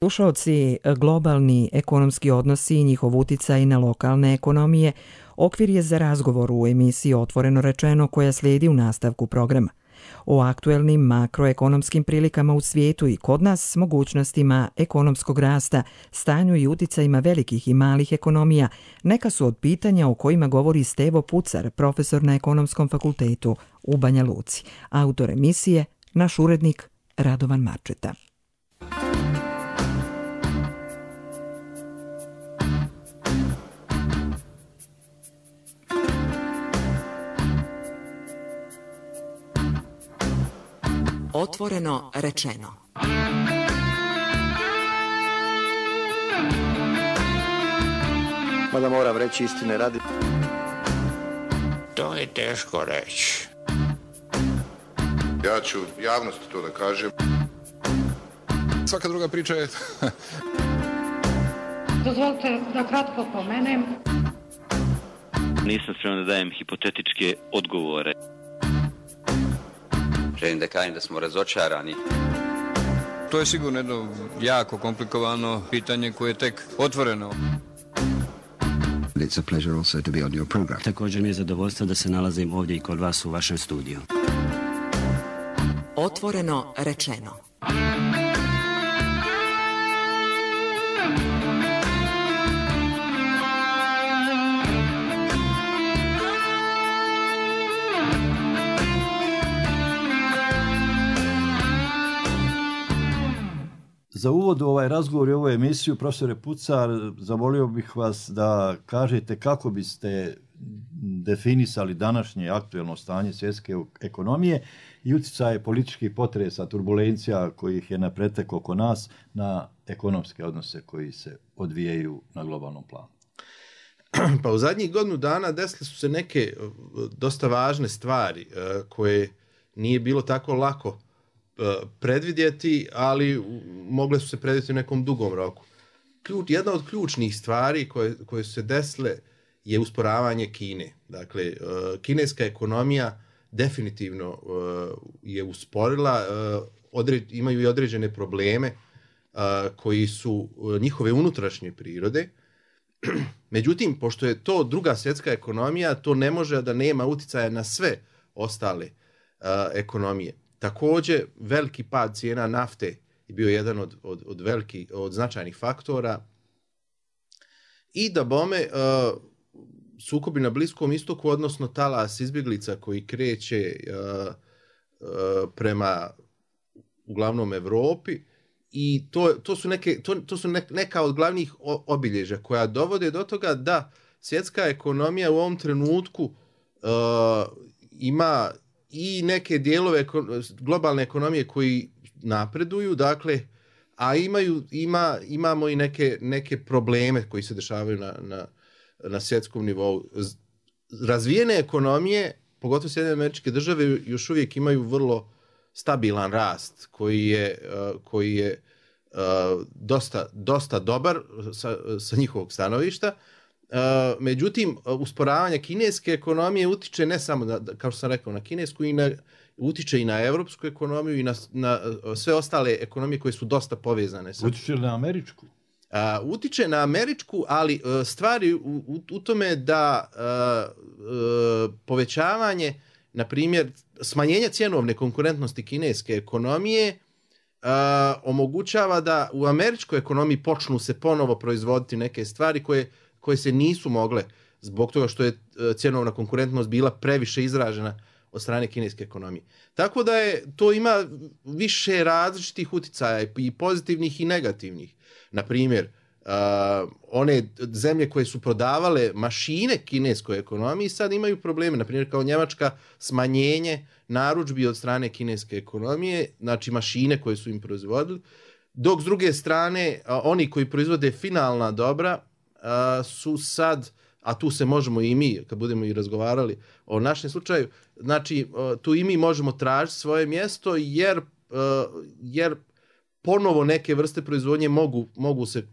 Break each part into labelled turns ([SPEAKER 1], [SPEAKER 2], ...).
[SPEAKER 1] Slušaoci, globalni ekonomski odnosi i njihov uticaj na lokalne ekonomije okvir je za razgovor u emisiji Otvoreno rečeno koja slijedi u nastavku programa. O aktuelnim makroekonomskim prilikama u svijetu i kod nas, mogućnostima ekonomskog rasta, stanju i uticajima velikih i malih ekonomija, neka su od pitanja o kojima govori Stevo Pucar, profesor na Ekonomskom fakultetu u Banja Luci. Autor emisije, naš urednik Radovan Marčeta.
[SPEAKER 2] Otvoreno rečeno.
[SPEAKER 3] Mada moram reći istine radi.
[SPEAKER 4] To je teško reći.
[SPEAKER 5] Ja ću javnosti to da kažem.
[SPEAKER 6] Svaka druga priča je...
[SPEAKER 7] Dozvolite da kratko pomenem.
[SPEAKER 8] Nisam spreman da dajem hipotetičke odgovore.
[SPEAKER 9] Želim da kažem da smo razočarani.
[SPEAKER 6] To je sigurno jedno jako komplikovano pitanje koje je tek otvoreno.
[SPEAKER 10] It's a pleasure also to be on your program.
[SPEAKER 11] Također mi je zadovoljstvo da se nalazim ovdje i kod vas u vašem studiju.
[SPEAKER 2] Otvoreno rečeno.
[SPEAKER 12] Za uvod u ovaj razgovor i ovu emisiju, profesore Pucar, zamolio bih vas da kažete kako biste definisali današnje aktuelno stanje svjetske ekonomije i utjecaje političkih potresa, turbulencija kojih je na pretek oko nas na ekonomske odnose koji se odvijaju na globalnom planu.
[SPEAKER 13] Pa u zadnjih godinu dana desile su se neke dosta važne stvari koje nije bilo tako lako predvidjeti, ali mogle su se predvidjeti u nekom dugom roku. Jedna od ključnih stvari koje su se desile je usporavanje Kine. Dakle, kineska ekonomija definitivno je usporila, imaju i određene probleme koji su njihove unutrašnje prirode. Međutim, pošto je to druga svjetska ekonomija, to ne može da nema uticaja na sve ostale ekonomije. Također, veliki pad cijena nafte je bio jedan od značajnih faktora. I da bome, sukobi na Bliskom istoku, odnosno talas izbjeglica koji kreće prema uglavnom Europi, i to su neka od glavnih obilježja koja dovode do toga da svjetska ekonomija u ovom trenutku ima i neke dijelove globalne ekonomije koji napreduju, dakle, a imamo i neke probleme koji se dešavaju na svjetskom nivou. Razvijene ekonomije, pogotovo Sjedinjene Američke Države, još uvijek imaju vrlo stabilan rast koji je dosta dobar sa njihovog stanovišta. Međutim, usporavanje kineske ekonomije utiče ne samo, kao što sam rekao, na kinesku, utiče i na evropsku ekonomiju i na sve ostale ekonomije koje su dosta povezane.
[SPEAKER 12] Utiče li na američku?
[SPEAKER 13] Utiče na američku, ali stvari u tome da povećavanje, na primjer, smanjenje cjenovne konkurentnosti kineske ekonomije omogućava da u američkoj ekonomiji počnu se ponovo proizvoditi neke stvari koje se nisu mogle zbog toga što je cjenovna konkurentnost bila previše izražena od strane kineske ekonomije. Tako da to ima više različitih uticaja, i pozitivnih i negativnih. Na primjer, one zemlje koje su prodavale mašine kineskoj ekonomiji sad imaju probleme. Na primjer, kao Njemačka, smanjenje narudžbi od strane kineske ekonomije, znači mašine koje su im proizvodili, dok s druge strane oni koji proizvode finalna dobra su sad, a tu se možemo i mi, kad budemo i razgovarali o našem slučaju, znači tu i mi možemo tražiti svoje mjesto jer ponovo neke vrste proizvodnje mogu se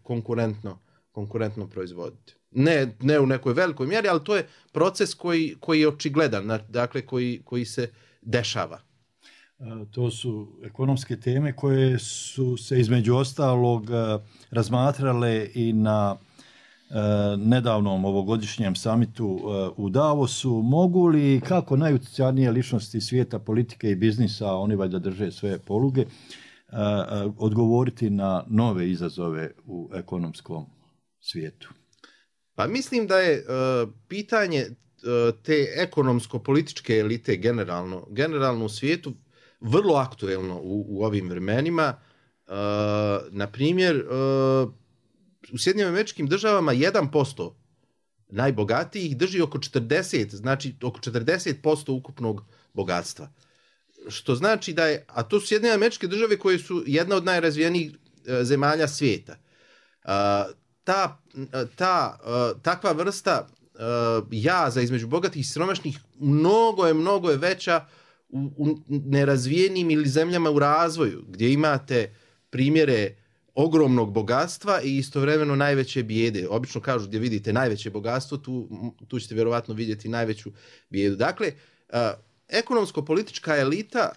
[SPEAKER 13] konkurentno proizvoditi. Ne u nekoj velikoj mjeri, ali to je proces koji je očigledan, dakle koji se dešava.
[SPEAKER 12] To su ekonomske teme koje su se između ostalog razmatrale i na nedavnom ovogodišnjem samitu u Davosu. Mogu li, kako najutjecajnije ličnosti svijeta politike i biznisa, oni valjda drže sve poluge, odgovoriti na nove izazove u ekonomskom svijetu?
[SPEAKER 13] Pa mislim da je pitanje te ekonomsko-političke elite generalno u svijetu vrlo aktuelno u ovim vremenima. Na primjer, u Sjedinjenim Američkim Državama 1% najbogatijih drži oko 40, znači oko 40% ukupnog bogatstva. Što znači da je, a to su Sjedinjene Američke Države koje su jedna od najrazvijenijih zemalja svijeta. Takva vrsta jaza između bogatih i siromašnih mnogo je veća u nerazvijenim ili zemljama u razvoju, gdje imate primjere ogromnog bogatstva i istovremeno najveće bijede. Obično kažu gdje vidite najveće bogatstvo, tu ćete vjerovatno vidjeti najveću bijedu. Dakle, ekonomsko-politička elita,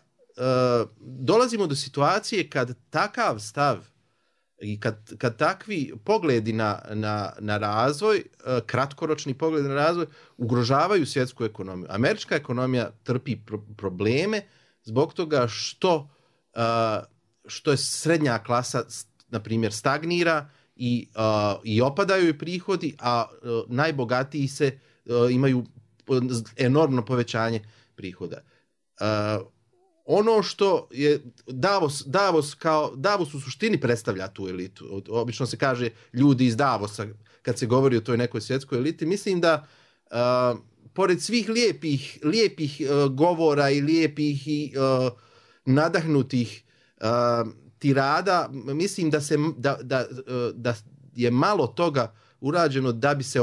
[SPEAKER 13] dolazimo do situacije kad takav stav i kad takvi pogledi na razvoj, kratkoročni pogledi na razvoj, ugrožavaju svjetsku ekonomiju. Američka ekonomija trpi probleme zbog toga što je srednja klasa, na primjer, stagnira i opadaju joj prihodi, a najbogatiji imaju enormno povećanje prihoda. Ono što je Davos u suštini predstavlja tu elitu. Obično se kaže ljudi iz Davosa kad se govori o toj nekoj svjetskoj eliti. Mislim da pored svih lijepih govora i lijepih i nadahnutih tirada, mislim da je malo toga urađeno da bi se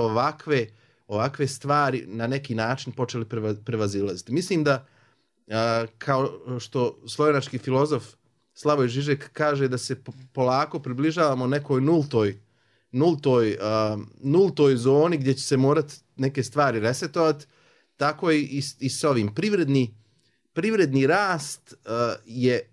[SPEAKER 13] ovakve stvari na neki način počeli prevazilaziti. Mislim da kao što slovenački filozof Slavoj Žižek kaže da se polako približavamo nekoj nultoj zoni gdje će se morati neke stvari resetovati, tako i s ovim. Privredni rast je,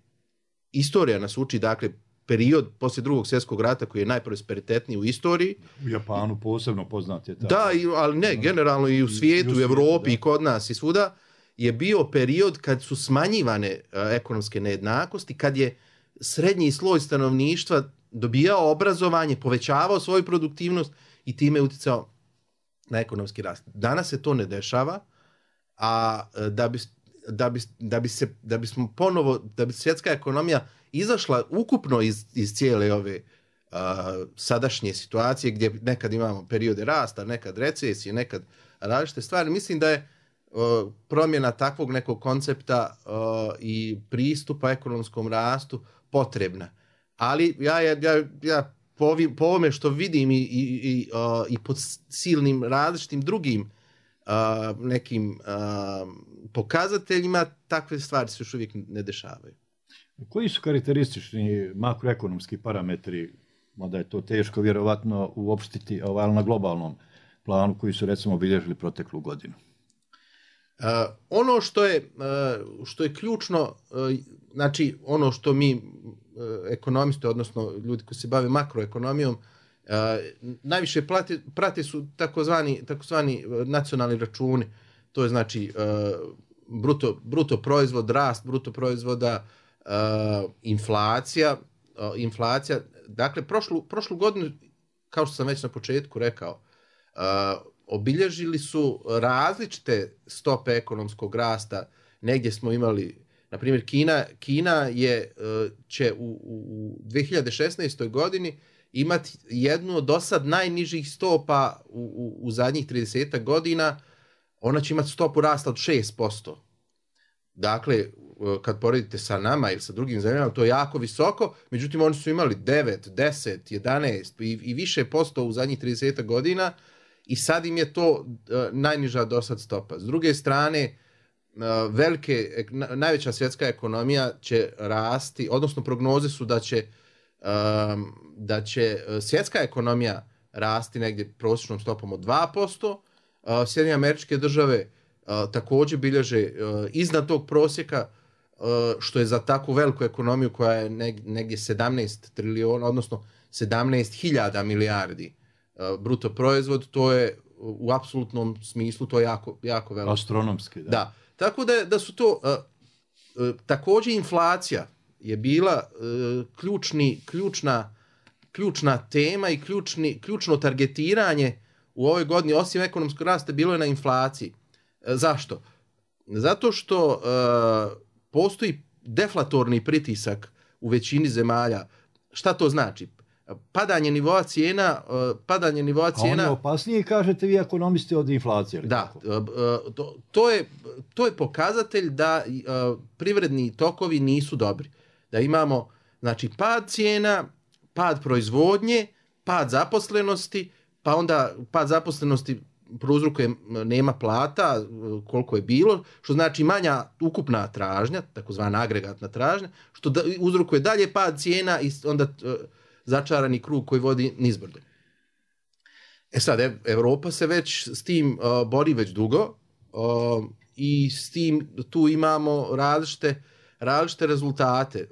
[SPEAKER 13] istorija nas uči, dakle, period poslije Drugog svjetskog rata koji je najprosperitetniji u istoriji.
[SPEAKER 12] U Japanu posebno poznat je tako.
[SPEAKER 13] Da, ali ne, generalno i u svijetu, u Europi i kod nas i svuda, je bio period kad su smanjivane ekonomske nejednakosti, kad je srednji sloj stanovništva dobijao obrazovanje, povećavao svoju produktivnost i time utjecao na ekonomski rast. Danas se to ne dešava, a da bi svjetska ekonomija izašla ukupno iz cijele ove sadašnje situacije gdje nekad imamo periode rasta, nekad recesije, nekad različite stvari, mislim da je promjena takvog nekog koncepta i pristupa ekonomskom rastu potrebna. Ali ja po ovome što vidim i pod silnim različitim drugim nekim pokazateljima, takve stvari se još uvijek ne dešavaju.
[SPEAKER 12] Koji su karakteristični makroekonomski parametri, mada je to teško vjerovatno uopštiti, ali na globalnom planu koji su recimo obilježili proteklu godinu?
[SPEAKER 13] Ono što je ključno, znači ono što mi ekonomisti, odnosno ljudi koji se bave makroekonomijom, najviše prate su takozvani nacionalni računi. To je znači bruto proizvod, rast bruto proizvoda, inflacija. Dakle, prošlu godinu, kao što sam već na početku rekao, obilježili su različite stope ekonomskog rasta. Negdje smo imali, na primjer, Kina će u 2016. godini imati jednu od dosad najnižih stopa u zadnjih 30 godina. Ona će imati stopu rasta od 6%. Dakle, kad poredite sa nama ili sa drugim zemljama, to je jako visoko, međutim oni su imali 9, 10, 11 i više posto u zadnjih 30 godina i sad im je to najniža dosad stopa. S druge strane, najveća svjetska ekonomija će rasti, odnosno prognoze su da će svjetska ekonomija rasti negdje prosječnom stopom od 2%, Sjedinjene Američke Države također bilježe iznad tog prosjeka što je za takvu veliku ekonomiju koja je negdje 17 trilijona, odnosno 17.000 milijardi bruto proizvod, to je u apsolutnom smislu to je jako veliko.
[SPEAKER 12] Astronomski, da.
[SPEAKER 13] Da. Tako da su to također inflacija je bila ključna tema i ključno targetiranje u ovoj godini, osim ekonomskog rasta, bilo je na inflaciji. Zašto? Zato što postoji deflatorni pritisak u većini zemalja. Šta to znači? Padanje nivoa cijena... A
[SPEAKER 12] on je opasniji, kažete vi, ekonomisti, od inflacije.
[SPEAKER 13] Da, to je pokazatelj da privredni tokovi nisu dobri. Da imamo, znači, pad cijena, pad proizvodnje, pad zaposlenosti, pa onda pad zaposlenosti prouzrokuje nema plata, koliko je bilo, što znači manja ukupna tražnja, takozvana agregatna tražnja, što uzrokuje dalje pad cijena i onda začarani krug koji vodi nizbrdo. Sad, Europa se već s tim bori već dugo i s tim tu imamo različite rezultate.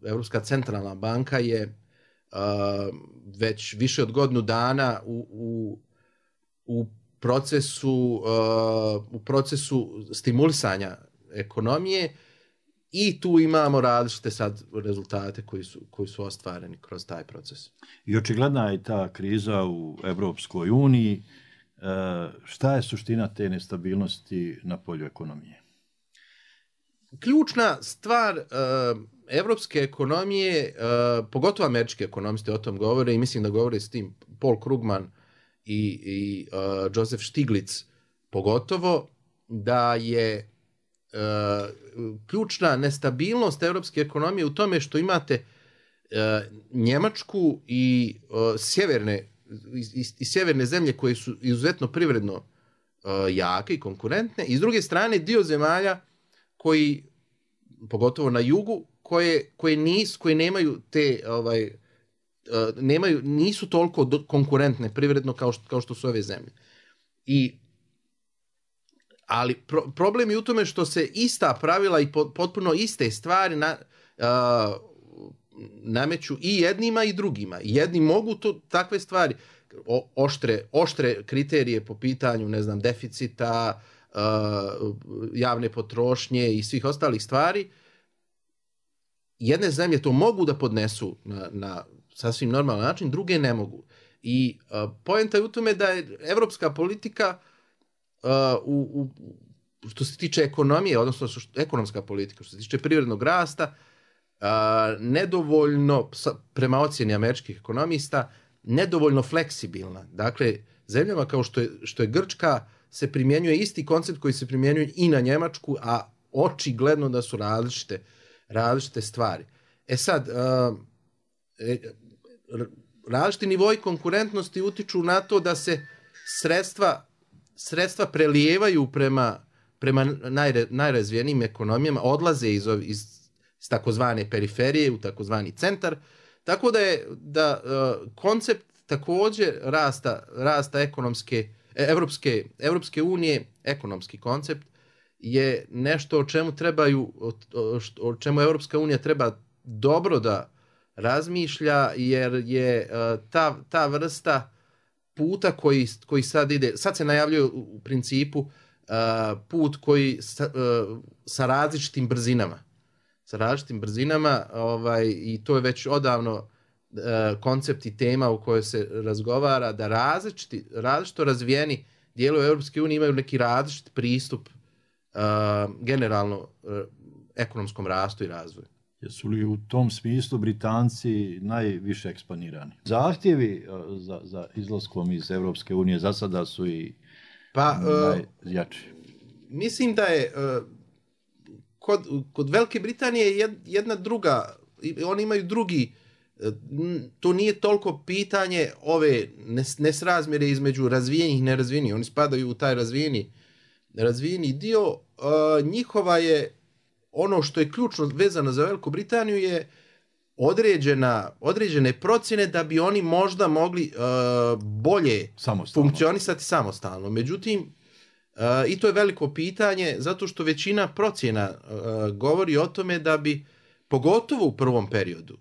[SPEAKER 13] Europska centralna banka je već više od godinu dana u procesu stimulisanja ekonomije i tu imamo različite sad rezultate koji su ostvareni kroz taj proces.
[SPEAKER 12] I očigledna je ta kriza u Evropskoj uniji. Šta je suština te nestabilnosti na polju ekonomije?
[SPEAKER 13] Ključna stvar evropske ekonomije, pogotovo američki ekonomisti o tom govore i mislim da govore s tim Paul Krugman i Joseph Stiglitz pogotovo, da je ključna nestabilnost europske ekonomije u tome što imate Njemačku i sjeverne zemlje koje su izuzetno privredno jake i konkurentne i s druge strane dio zemalja koji, pogotovo na jugu, koje nemaju te nisu toliko konkurentne privredno kao što su ove zemlje. Ali problem je u tome što se ista pravila i potpuno iste stvari nameću i jednima i drugima. Jedni mogu takve stvari, oštre kriterije po pitanju, ne znam, deficita, javne potrošnje i svih ostalih stvari. Jedne zemlje to mogu da podnesu na sasvim normalan način, druge ne mogu. I poenta je u tome da je evropska politika što se tiče ekonomije, odnosno ekonomska politika, što se tiče privrednog rasta, nedovoljno, prema ocjeni američkih ekonomista, nedovoljno fleksibilna. Dakle, zemljama kao što je Grčka se primjenjuje isti koncept koji se primjenjuje i na Njemačku, a očigledno da su različite stvari. Sad, različiti nivoi konkurentnosti utiču na to da se sredstva prelijevaju prema najrazvijenijim ekonomijama, odlaze iz takozvane periferije u takozvani centar, tako da koncept također rasta Evropske unije, ekonomski koncept, je nešto o čemu Evropska unija treba dobro da razmišlja, jer je ta vrsta puta koji sad ide, sad se najavljuje u principu put koji sa različitim brzinama, i to je već odavno koncept i tema u kojoj se razgovara da različito razvijeni dijelovi Europske unije imaju neki različit pristup generalno ekonomskom rastu i razvoju.
[SPEAKER 12] Jesu li u tom smislu Britanci najviše eksponirani? Zahtjevi za izlaskom iz Europske unije za sada su i najjači.
[SPEAKER 13] Mislim da je kod Velike Britanije jedna druga, oni imaju drugi, to nije toliko pitanje ove nesrazmjere između razvijenih i nerazvijenih. Oni spadaju u taj razvijeni dio. Njihova je, ono što je ključno vezano za Veliku Britaniju je određene procjene da bi oni možda mogli bolje funkcionisati samostalno. Međutim, I to je veliko pitanje, zato što većina procjena govori o tome da bi, pogotovo u prvom periodu,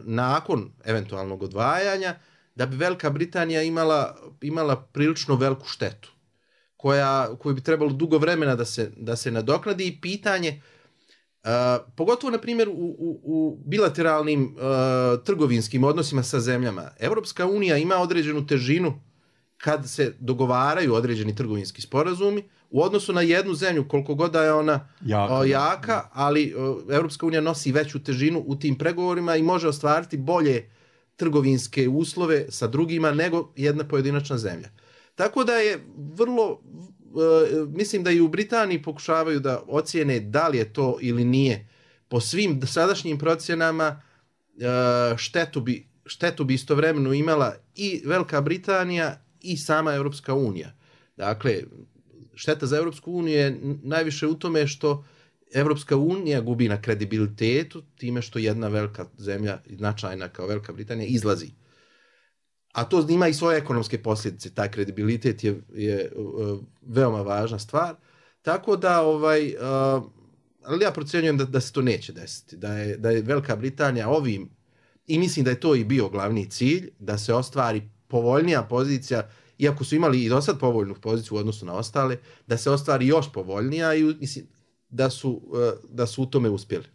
[SPEAKER 13] nakon eventualnog odvajanja, da bi Velika Britanija imala prilično veliku štetu, koju bi trebalo dugo vremena da se nadoknadi. I pitanje, pogotovo na primjer u bilateralnim trgovinskim odnosima sa zemljama, Europska unija ima određenu težinu kad se dogovaraju određeni trgovinski sporazumi u odnosu na jednu zemlju, koliko god da je ona jaka, ali Europska unija nosi veću težinu u tim pregovorima i može ostvariti bolje trgovinske uslove sa drugima nego jedna pojedinačna zemlja. Tako da je mislim da i u Britaniji pokušavaju da ocijene da li je to ili nije. Po svim sadašnjim procjenama štetu bi istovremeno imala i Velika Britanija i sama Europska unija. Dakle, šteta za Europsku uniju je najviše u tome što Europska unija gubi na kredibilitetu time što jedna velika zemlja, značajna kao Velika Britanija, izlazi. A to ima i svoje ekonomske posljedice. Taj kredibilitet je veoma važna stvar. Tako da, ali ja procjenjujem da se to neće desiti. Da je Velika Britanija ovim, i mislim da je to i bio glavni cilj, da se ostvari povoljnija pozicija, iako su imali i do sad povoljnu poziciju u odnosu na ostale, da se ostvari još povoljnija i mislim da su u tome uspjeli.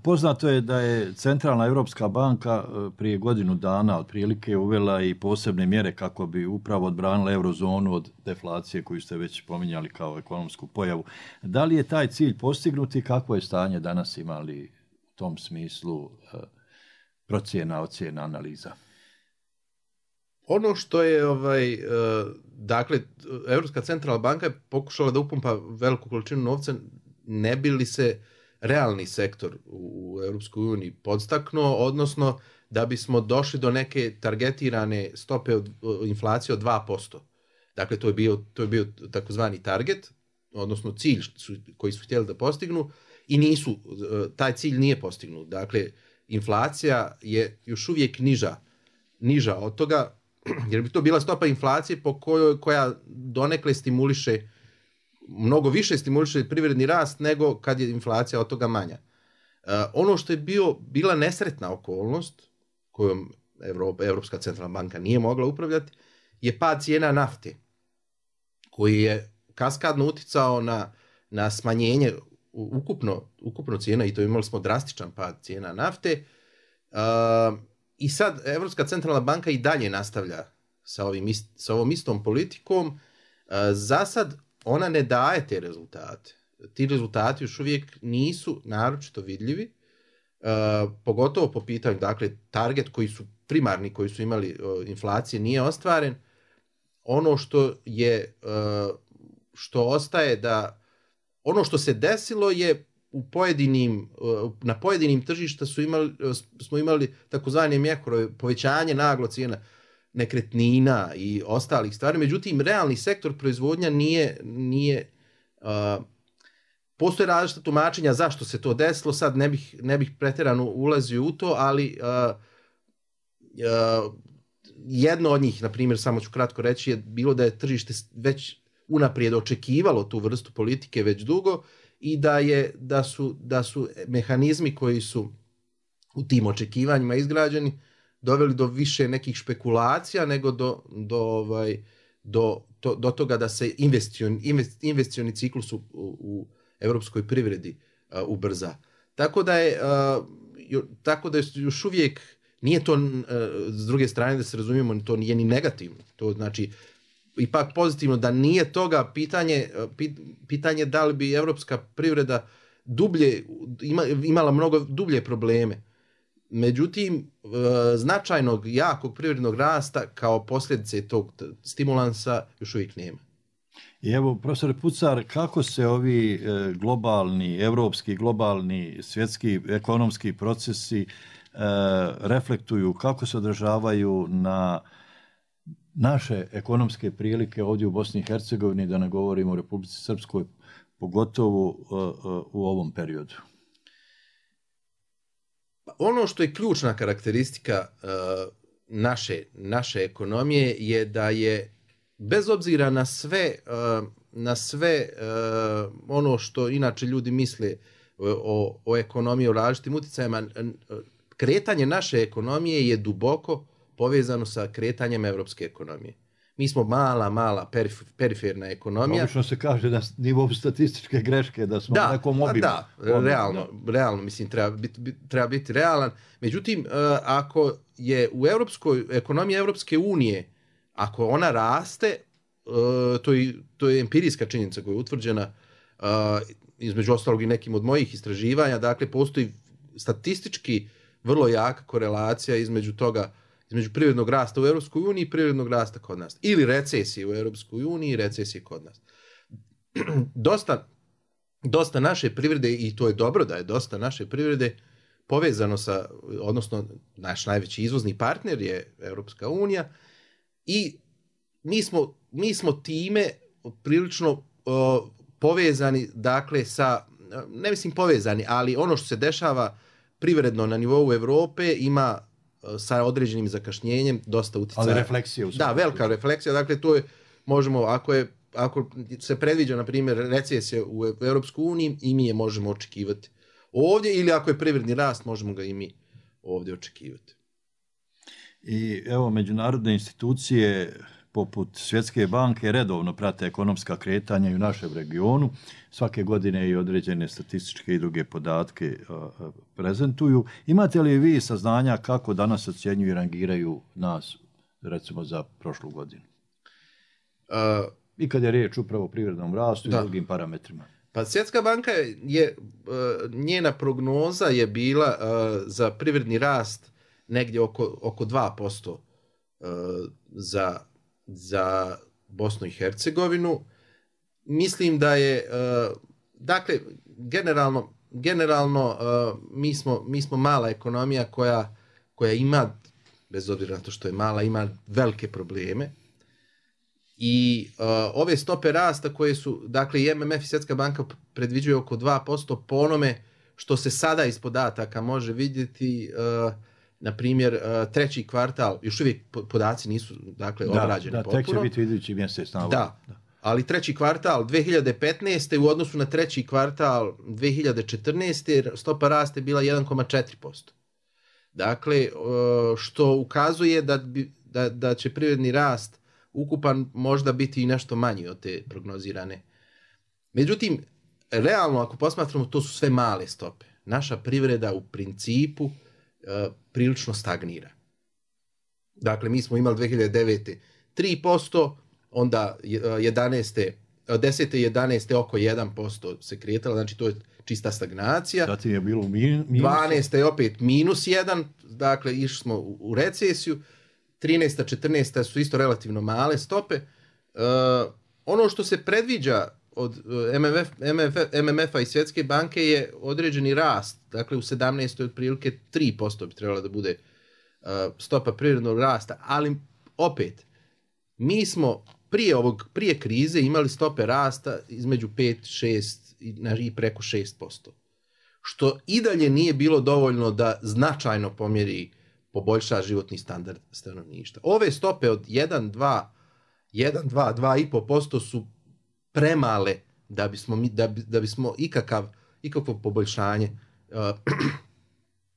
[SPEAKER 12] Poznato je da je Centralna Europska banka prije godinu dana otprilike uvela i posebne mjere kako bi upravo odbranila eurozonu od deflacije koju ste već pominjali kao ekonomsku pojavu. Da li je taj cilj postignut i kakvo je stanje danas, imali u tom smislu procjena, ocjena, analiza?
[SPEAKER 13] Ono što je, dakle, Europska centralna banka je pokušala da upumpa veliku količinu novca, ne bi li se realni sektor u Europskoj uniji podstaknuo, odnosno da bismo došli do neke targetirane stope inflacije od 2%. Dakle, to je bio takozvani target, odnosno cilj koji su htjeli da postignu i taj cilj nije postignut. Dakle, inflacija je još uvijek niža od toga, jer bi to bila stopa inflacije koja donekle mnogo više stimuliše privredni rast nego kad je inflacija od toga manja. Ono što je bila nesretna okolnost kojom Europska centralna banka nije mogla upravljati je pad cijena nafte, koji je kaskadno uticao na smanjenje ukupno cijena, i to imali smo drastičan pad cijena nafte. I sad Europska centralna banka i dalje nastavlja sa ovom istom politikom. Za sad ona ne daje te rezultate. Ti rezultati još uvijek nisu naročito vidljivi, pogotovo po pitanju, dakle, target primarni koji su imali inflacije nije ostvaren. Ono što ostaje ono što se desilo je na pojedinim tržišta smo imali takozvane mjekore, povećanje naglo cijena nekretnina i ostalih stvari. Međutim, realni sektor proizvodnja nije postoje različita tumačenja zašto se to desilo. Sad ne bih pretjerano ulazio u to, ali jedno od njih, na primjer, samo ću kratko reći, je bilo da je tržište već unaprijed očekivalo tu vrstu politike već dugo i da su mehanizmi koji su u tim očekivanjima izgrađeni doveli do više nekih špekulacija nego do toga da se investicioni ciklus u europskoj privredi ubrza. Tako da je još uvijek nije to, s druge strane da se razumijemo, to nije ni negativno. To znači ipak pozitivno da nije toga pitanje da li bi europska privreda imala mnogo dublje probleme. Međutim, značajnog, jakog privrednog rasta kao posljedice tog stimulansa još uvijek nema.
[SPEAKER 12] I evo, profesor Pucar, kako se ovi globalni, evropski, globalni, svjetski, ekonomski procesi reflektuju, kako se odražavaju na naše ekonomske prilike ovdje u Bosni i Hercegovini, da ne govorimo o Republici Srpskoj, pogotovo u ovom periodu?
[SPEAKER 13] Ono što je ključna karakteristika naše ekonomije je da je bez obzira na sve ono što inače ljudi misle o ekonomiji, o različitim utjecajima, kretanje naše ekonomije je duboko povezano sa kretanjem evropske ekonomije. Mi smo mala, periferna ekonomija.
[SPEAKER 12] Obično se kaže na nivou statističke greške da smo na nekom obimu.
[SPEAKER 13] Da, realno, mislim, treba biti realan. Međutim, ako je u ekonomiji Evropske unije, ako ona raste, to je empirijska činjenica koja je utvrđena između ostalog i nekim od mojih istraživanja, dakle, postoji statistički vrlo jaka korelacija između toga, između privrednog rasta u Europskoj uniji i privrednog rasta kod nas. Ili recesije u Europskoj uniji i recesije kod nas. Dosta naše privrede, i to je dobro da je dosta naše privrede povezano sa, odnosno naš najveći izvozni partner je Europska unija i mi smo time prilično povezani, dakle, sa, ne mislim povezani, ali ono što se dešava privredno na nivou Europe ima sa određenim zakašnjenjem dosta utjecaja.
[SPEAKER 12] Ali refleksija.
[SPEAKER 13] Da, velika refleksija. Dakle, to je, možemo, ako se predviđa, na primjer, recesija u Europskoj uniji, i mi je možemo očekivati ovdje, ili ako je privredni rast, možemo ga i mi ovdje očekivati.
[SPEAKER 12] I evo, međunarodne institucije poput Svjetske banke redovno prate ekonomska kretanja i u našem regionu. Svake godine i određene statističke i druge podatke prezentuju. Imate li vi saznanja kako danas ocjenjuju i rangiraju nas, recimo, za prošlu godinu? I kad je riječ upravo o privrednom rastu i drugim parametrima.
[SPEAKER 13] Pa Svjetska banka njena prognoza je bila za privredni rast negdje oko 2% za Bosnu i Hercegovinu. Mislim da je, dakle, generalno mi smo mala ekonomija koja ima, bez obzira na to što je mala, ima velike probleme. I ove stope rasta koje su, dakle, i MMF i Svjetska banka predviđaju oko 2%, po onome što se sada iz podataka može vidjeti, na primjer, treći kvartal, još uvijek podaci nisu, dakle, obrađeni potpuno.
[SPEAKER 12] Tek će biti idući mjesec.
[SPEAKER 13] Da, ali treći kvartal 2015. u odnosu na treći kvartal 2014. stopa rasta je bila 1,4%. Dakle, što ukazuje da će privredni rast ukupan možda biti i nešto manji od te prognozirane. Međutim, realno, ako posmatramo, to su sve male stope. Naša privreda u principu prilično stagnira. Dakle, mi smo imali 2009. 3%, onda 10. i 11. oko 1% se kretala, znači to je čista stagnacija.
[SPEAKER 12] Zatim je bilo minus.
[SPEAKER 13] 12. je opet minus 1, dakle išli smo u recesiju. 13. 14. su isto relativno male stope. Ono što se predviđa od MMF-a i Svjetske banke je određeni rast. Dakle, u 17. otprilike 3% bi trebala da bude stopa privrednog rasta. Ali opet, mi smo prije krize imali stope rasta između 5, 6 i preko 6%. Što i dalje nije bilo dovoljno da značajno pomjeri, poboljša životni standard stanovništva. Ove stope od 2,5% su premale da bismo ikakvo poboljšanje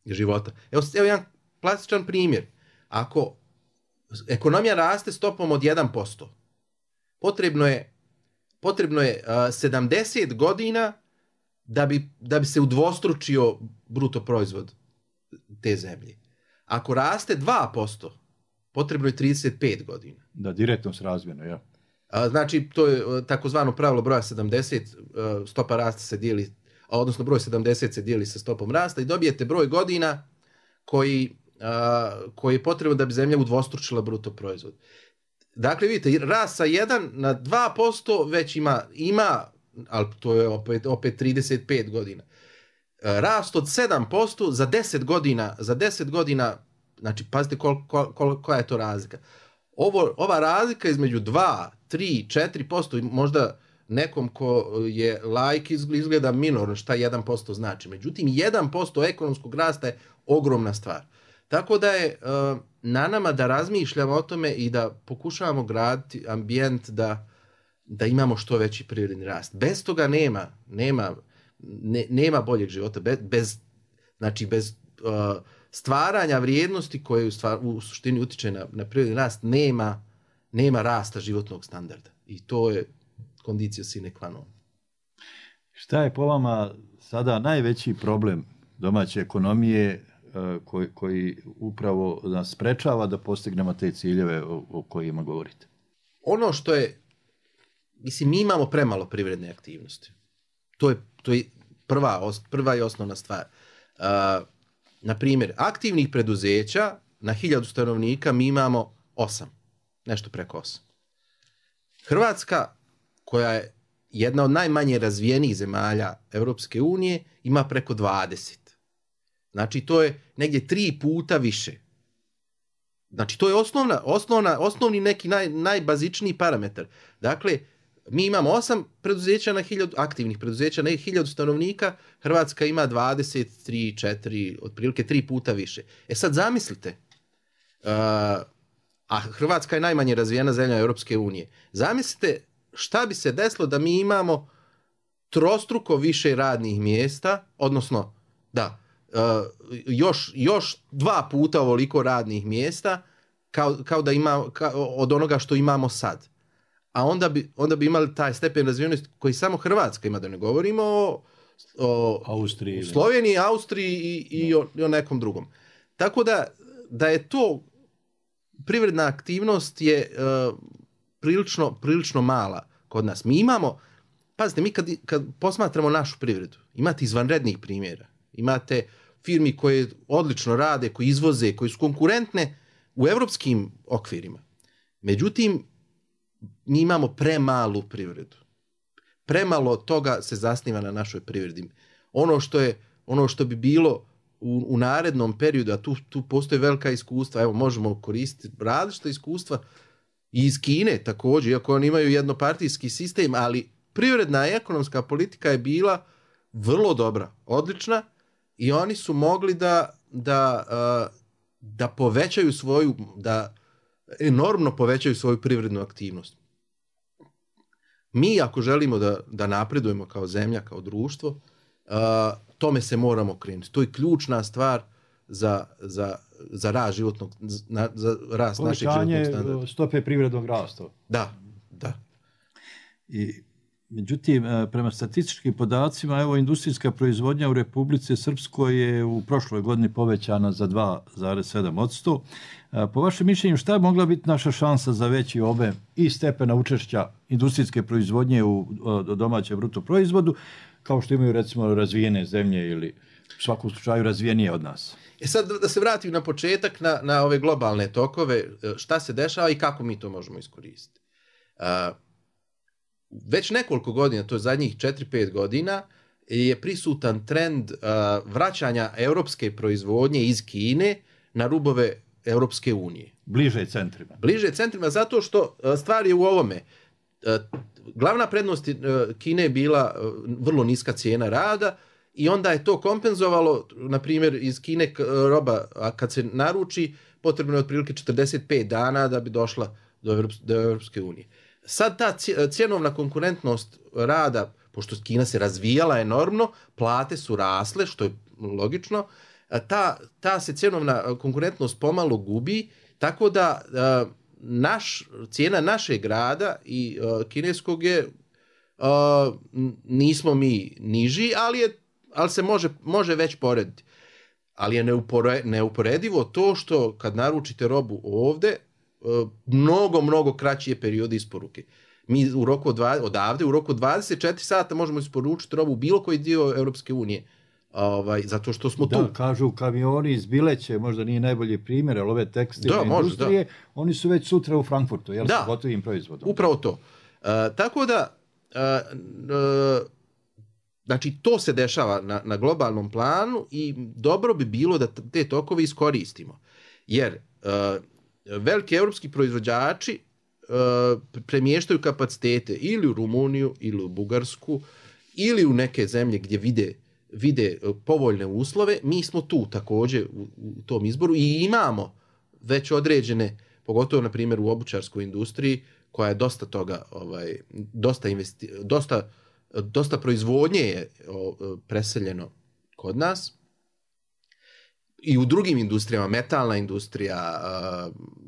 [SPEAKER 13] života. Evo jedan plastičan primjer. Ako ekonomija raste stopom od 1%, potrebno je 70 godina da bi se udvostručio bruto proizvod te zemlje. Ako raste 2%, potrebno je 35 godina.
[SPEAKER 12] Da, direktno srazmjerno, ja.
[SPEAKER 13] Znači, to je takozvano pravilo broja 70, stopa rasta se dijeli, odnosno broj 70 se dijeli sa stopom rasta i dobijete broj godina koji je potrebno da bi zemlja udvostručila bruto proizvod. Dakle, vidite, rast sa 1 na 2% već ima, ali to je opet 35 godina. Rast od 7% za 10 godina, znači pazite koja je to razlika. Ova razlika između 2, 3, 4%, možda nekom ko je laik izgleda minorno šta 1% znači. Međutim, 1% ekonomskog rasta je ogromna stvar. Tako da je na nama da razmišljamo o tome i da pokušavamo graditi ambijent da imamo što veći privredni rast. Bez toga nema boljeg života. Bez stvaranja vrijednosti koje u suštini utiče na privredni rast nema rasta životnog standarda. I to je condicio sine qua non.
[SPEAKER 12] Šta je po vama sada najveći problem domaće ekonomije koji upravo nas sprečava da postignemo te ciljeve o kojima govorite?
[SPEAKER 13] Ono što je, mi imamo premalo privredne aktivnosti. To je prva i osnovna stvar. Na primjer, aktivnih preduzeća na 1000 stanovnika mi imamo 8, nešto preko 8. Hrvatska, koja je jedna od najmanje razvijenih zemalja Europske unije, ima preko 20. Znači, to je negdje 3 puta više. Znači, to je osnovni neki najbazičniji parametar. Dakle, mi imamo 8 preduzeća na 1000, aktivnih preduzeća na 1000 stanovnika, Hrvatska ima 23, 4, otprilike 3 puta više. Sad zamislite, a Hrvatska je najmanje razvijena zemlja Europske unije. Zamislite šta bi se desilo da mi imamo trostruko više radnih mjesta, odnosno još 2 puta ovoliko radnih mjesta kao da od onoga što imamo sad. A onda bi imali taj stepen razvijenosti koji samo Hrvatska ima, da ne govorimo o
[SPEAKER 12] Austriji,
[SPEAKER 13] Sloveniji, Austriji i o nekom drugom. Tako da je to privredna aktivnost je prilično mala kod nas. Mi imamo, pazite, mi kad posmatramo našu privredu, imate izvanrednih primjera. Imate firmi koje odlično rade, koji izvoze, koji su konkurentne u europskim okvirima. Međutim, mi imamo premalu privredu. Premalo toga se zasniva na našoj privredi. Ono što bi bilo u narednom periodu, a tu postoje velika iskustva, evo možemo koristiti različita iskustva i iz Kine također, iako oni imaju jednopartijski sistem, ali privredna i ekonomska politika je bila vrlo dobra, odlična, i oni su mogli da povećaju enormno povećaju svoju privrednu aktivnost. Mi ako želimo da napredujemo kao zemlja, kao društvo, tome se moramo krenuti. To je ključna stvar za rast životnog, za rast našeg životnog standarda.
[SPEAKER 12] Povećanje stope privrednog rasta.
[SPEAKER 13] Da.
[SPEAKER 12] Međutim, prema statističkim podacima, evo, industrijska proizvodnja u Republici Srpskoj je u prošloj godini povećana za 2,7%. Po vašem mišljenju, šta je mogla biti naša šansa za veći obim i stepena učešća industrijske proizvodnje u domaćem bruto proizvodu, kao što imaju recimo razvijene zemlje ili u svakom slučaju razvijenije od nas?
[SPEAKER 13] Sad da se vratim na početak, na ove globalne tokove, šta se dešava i kako mi to možemo iskoristiti. Već nekoliko godina, to je zadnjih 4-5 godina, je prisutan trend vraćanja europske proizvodnje iz Kine na rubove Europske unije.
[SPEAKER 12] Bliže centrima,
[SPEAKER 13] zato što stvar je u ovome. Glavna prednost Kine je bila vrlo niska cijena rada i onda je to kompenzovalo, na primjer, iz Kine roba, a kad se naruči, potrebno je otprilike 45 dana da bi došla do Europske unije. Sad ta cjenovna konkurentnost rada, pošto Kina se razvijala enormno, plate su rasle, što je logično, ta se cjenovna konkurentnost pomalo gubi, tako da cijena našeg rada i kineskog je, nismo mi niži, ali se može već porediti. Ali je neuporedivo to što kad naručite robu ovdje, mnogo kraći je period isporuke. Mi u roku odavde, u roku 24 sata možemo isporučiti robu u bilo koji dio Europske unije. Zato što smo tu.
[SPEAKER 12] Da, kažu kamioni iz Bileće, možda nije najbolji primjer, ali ove tekstilne industrije, oni su već sutra u Frankfurtu, sa gotovim proizvodom.
[SPEAKER 13] Upravo to. Tako da, znači to se dešava na globalnom planu i dobro bi bilo da te tokove iskoristimo. Jer veliki europski proizvođači premještaju kapacitete ili u Rumuniju, ili u Bugarsku, ili u neke zemlje gdje vide vide povoljne uslove, mi smo tu također u tom izboru i imamo već određene, pogotovo na primjer u obućarskoj industriji, koja je dosta toga, dosta proizvodnje je preseljeno kod nas. I u drugim industrijama, metalna industrija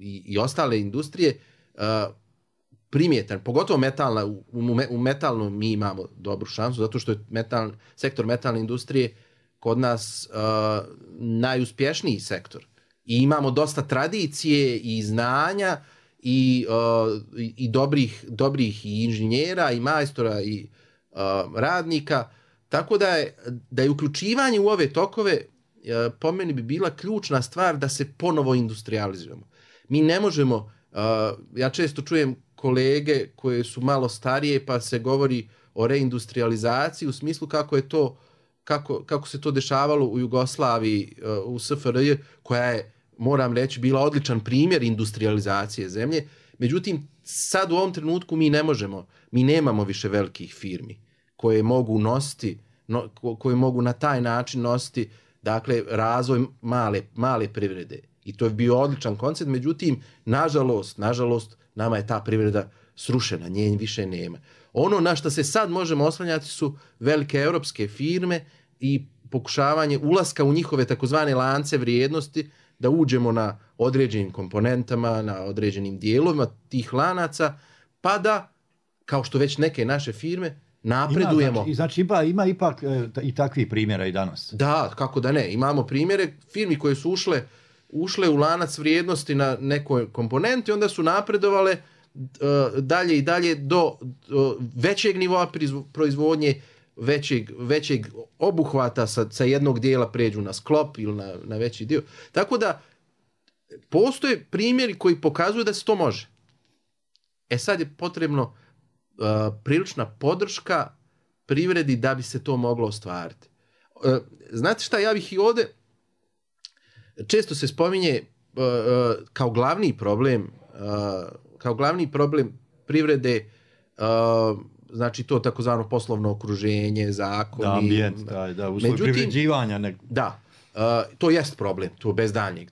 [SPEAKER 13] i ostale industrije, primjetan, pogotovo metalna, u metalnom mi imamo dobru šansu, zato što je sektor metalne industrije kod nas najuspješniji sektor. I imamo dosta tradicije i znanja i dobrih i inženjera i majstora i radnika, tako da je uključivanje u ove tokove po meni bi bila ključna stvar da se ponovo industrializujemo. Mi ne možemo, ja često čujem kolege koje su malo starije pa se govori o reindustrializaciji u smislu kako se to dešavalo u Jugoslaviji, u SFRJ, koja je, moram reći, bila odličan primjer industrializacije zemlje. Međutim, sad u ovom trenutku mi ne možemo, mi nemamo više velikih firmi koje mogu nositi, koje mogu na taj način nositi, dakle, razvoj male privrede. I to je bio odličan koncept, međutim, nažalost, nama je ta privreda srušena, nje više nema. Ono na što se sad možemo oslanjati su velike europske firme i pokušavanje ulaska u njihove takozvane lance vrijednosti, da uđemo na određenim komponentama, na određenim dijelovima tih lanaca, pa da, kao što već neke naše firme, napredujemo.
[SPEAKER 12] Znači ima ipak i takvih primjera i danas.
[SPEAKER 13] Da, kako da ne. Imamo primjere firmi koje su ušle u lanac vrijednosti na nekoj komponenti, onda su napredovale dalje i dalje do većeg nivoa proizvodnje, većeg obuhvata sa jednog dijela pređu na sklop ili na veći dio. Tako da postoje primjeri koji pokazuju da se to može. Sad je potrebno prilična podrška privredi da bi se to moglo ostvariti. Znate šta, ja bih i ovdje, često se spominje kao glavni problem privrede, znači to takozvano poslovno okruženje, zakoni. Da,
[SPEAKER 12] ambijent, uslovi privređivanja.
[SPEAKER 13] Da, to jest problem, tu bez daljnjeg,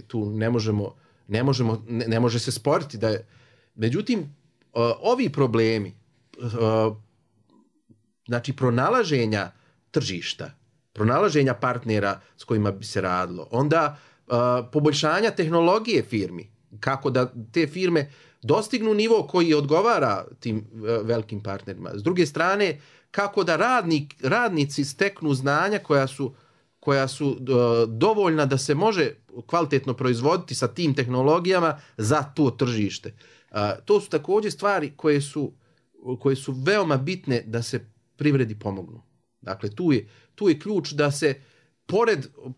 [SPEAKER 13] tu ne može se sporiti da je. Međutim, ovi problemi, znači pronalaženja tržišta, pronalaženja partnera s kojima bi se radilo, onda poboljšanja tehnologije firmi, kako da te firme dostignu nivo koji odgovara tim velikim partnerima. S druge strane, kako da radnici steknu znanja koja su dovoljna da se može kvalitetno proizvoditi sa tim tehnologijama za to tržište. To su također stvari koje su veoma bitne da se privredi pomognu. Dakle, tu je ključ da se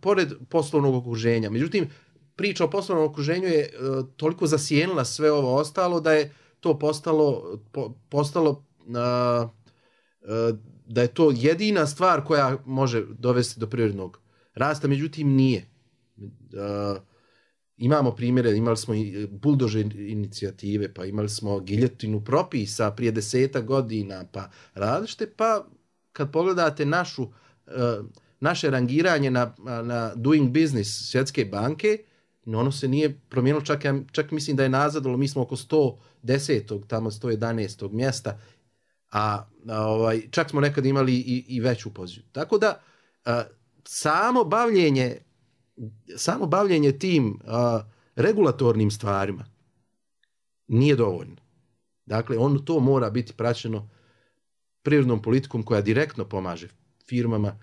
[SPEAKER 13] pored poslovnog okruženja. Međutim, priča o poslovnom okruženju je toliko zasjenila sve ovo ostalo da je to postalo da je to jedina stvar koja može dovesti do privrednog rasta, međutim nije. Imamo primjere, imali smo i buldožer inicijative, pa imali smo giljotinu propisa prije 10 godina, pa različite, pa kad pogledate naše rangiranje na Doing Business Svjetske banke, ono se nije promijenilo, čak mislim da je nazadilo, mi smo oko 110. tamo 111. mjesta, a čak smo nekad imali i veću poziciju. Tako da samo bavljenje tim regulatornim stvarima nije dovoljno. Dakle, to mora biti praćeno privrednom politikom koja direktno pomaže firmama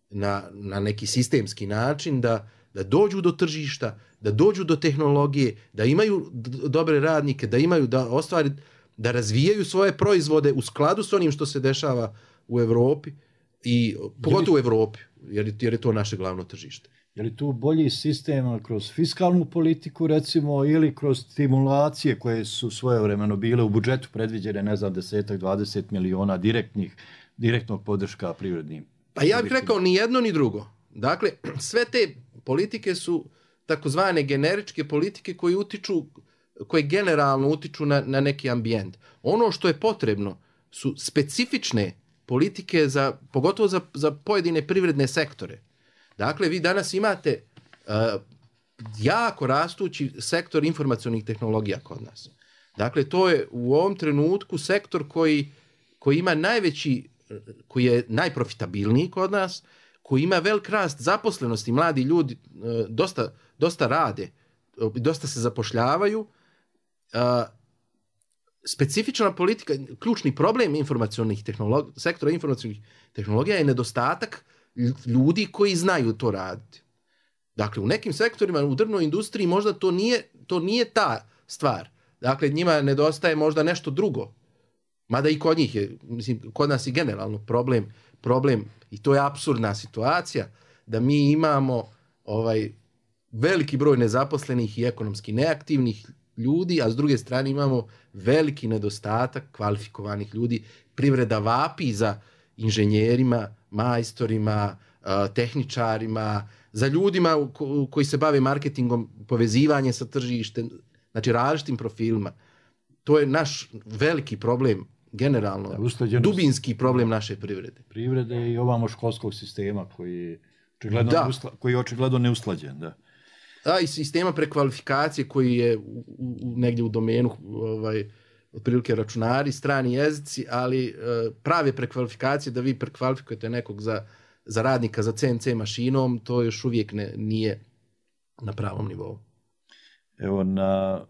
[SPEAKER 13] na neki sistemski način da dođu do tržišta, da dođu do tehnologije, da imaju dobre radnike, da razvijaju svoje proizvode u skladu s onim što se dešava u Europi i pogotovo u Europi, jer je to naše glavno tržište.
[SPEAKER 12] Je li tu bolji sistem kroz fiskalnu politiku, recimo, ili kroz stimulacije koje su svojevremeno bile u budžetu predviđene, 10-20 miliona direktnog podrška privrednim?
[SPEAKER 13] Pa ja bih rekao ni jedno ni drugo. Dakle, sve te politike su takozvane generičke politike koje generalno utiču na neki ambijent. Ono što je potrebno su specifične politike pogotovo za pojedine privredne sektore. Dakle, vi danas imate jako rastući sektor informacionih tehnologija kod nas. Dakle, to je u ovom trenutku sektor koji ima koji je najprofitabilniji kod nas, koji ima velik rast zaposlenosti, mladi ljudi dosta rade, dosta se zapošljavaju. Specifična politika, ključni problem sektora informacionih tehnologija je nedostatak ljudi koji znaju to raditi. Dakle, u nekim sektorima, u drvnoj industriji možda to nije ta stvar. Dakle, njima nedostaje možda nešto drugo. Mada i kod njih je, kod nas je generalno problem i to je apsurdna situacija da mi imamo veliki broj nezaposlenih i ekonomski neaktivnih ljudi, a s druge strane imamo veliki nedostatak kvalifikovanih ljudi. Privreda vapi za inženjerima, majstorima, tehničarima, za ljudima koji se bave marketingom, povezivanje sa tržištem, znači različitim profilima. To je naš veliki problem, generalno, dubinski problem naše privrede.
[SPEAKER 12] Privrede i ovamo školskog sistema koji je očigledno neusklađen. Da.
[SPEAKER 13] I sistema prekvalifikacije koji je negdje u domenu otprilike računari, strani jezici, ali prave prekvalifikacije da vi prekvalifikujete nekog za radnika za CNC mašinom, to još uvijek nije na pravom nivou.
[SPEAKER 12] Evo, na